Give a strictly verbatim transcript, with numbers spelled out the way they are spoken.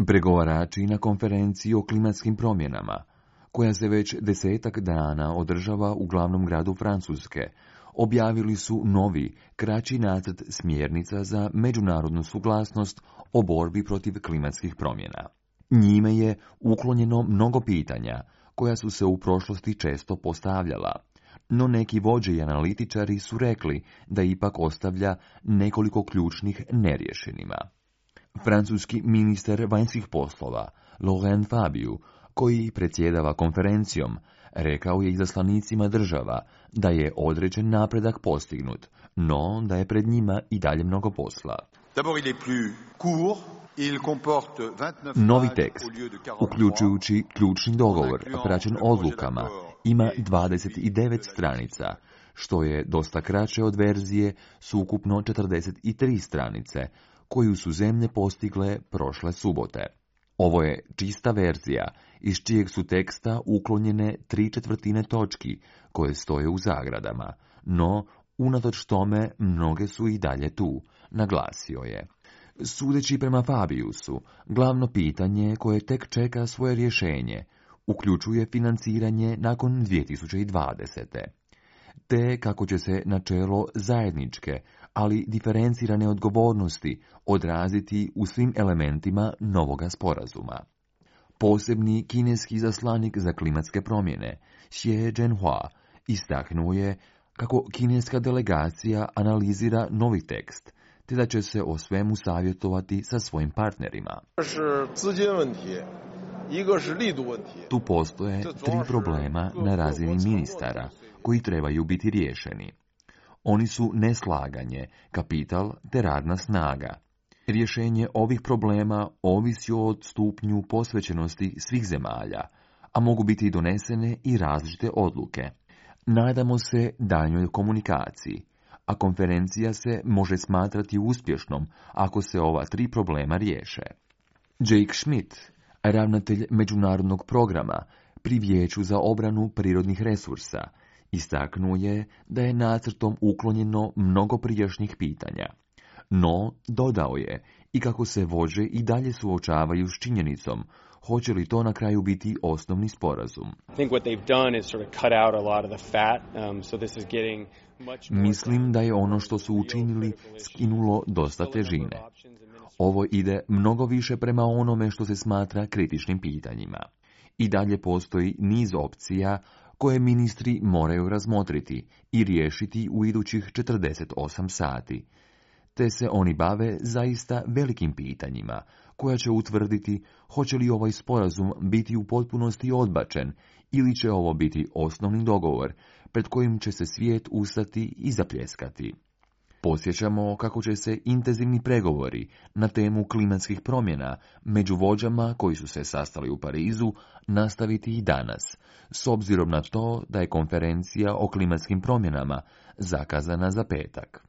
Pregovarači na konferenciji o klimatskim promjenama, koja se već desetak dana održava u glavnom gradu Francuske, objavili su novi, kraći nacrt smjernica za međunarodnu suglasnost o borbi protiv klimatskih promjena. Njime je uklonjeno mnogo pitanja koja su se u prošlosti često postavljala, no neki vođe i analitičari su rekli da ipak ostavlja nekoliko ključnih neriješenima. Francuski ministar vanjskih poslova, Laurent Fabius, koji predsjedava konferencijom, rekao je izaslanicima država da je određen napredak postignut, no da je pred njima i dalje mnogo posla. Novi tekst, uključujući ključni dogovor, praćen odlukama, ima dvadeset devet stranica, što je dosta kraće od verzije s ukupno četrdeset tri stranice, koju su zemlje postigle prošle subote. Ovo je čista verzija, iz čijeg su teksta uklonjene tri četvrtine točki, koje stoje u zagradama, no, unatoč tome, mnoge su i dalje tu, naglasio je. Sudeći prema Fabiusu, glavno pitanje koje tek čeka svoje rješenje, uključuje financiranje nakon dvije tisuće dvadesete. Te kako će se načelo zajedničke, ali diferencirane odgovornosti odraziti u svim elementima novoga sporazuma. Posebni kineski zaslanik za klimatske promjene, Xie Zhenhua, istaknuo je kako kineska delegacija analizira novi tekst, te da će se o svemu savjetovati sa svojim partnerima. Tu postoje tri problema na razini ministara, koji trebaju biti riješeni. Oni su neslaganje, kapital te radna snaga. Rješenje ovih problema ovisi od stupnju posvećenosti svih zemalja, a mogu biti donesene i različite odluke. Nadamo se daljnjoj komunikaciji, a konferencija se može smatrati uspješnom ako se ova tri problema riješe. Jake Schmidt, ravnatelj međunarodnog programa pri Vijeću za obranu prirodnih resursa, istaknuo je da je nacrtom uklonjeno mnogo prijašnjih pitanja. No, dodao je i kako se vođe i dalje suočavaju s činjenicom, hoće li to na kraju biti osnovni sporazum. Mislim da je ono što su učinili skinulo dosta težine. Ovo ide mnogo više prema onome što se smatra kritičnim pitanjima. I dalje postoji niz opcija koje ministri moraju razmotriti i riješiti u idućih četrdeset osam sati. Te se oni bave zaista velikim pitanjima, koja će utvrditi hoće li ovaj sporazum biti u potpunosti odbačen ili će ovo biti osnovni dogovor pred kojim će se svijet ustati i zapljeskati. Podsjećamo kako će se intenzivni pregovori na temu klimatskih promjena među vođama koji su se sastali u Parizu nastaviti i danas, s obzirom na to da je konferencija o klimatskim promjenama zakazana za petak.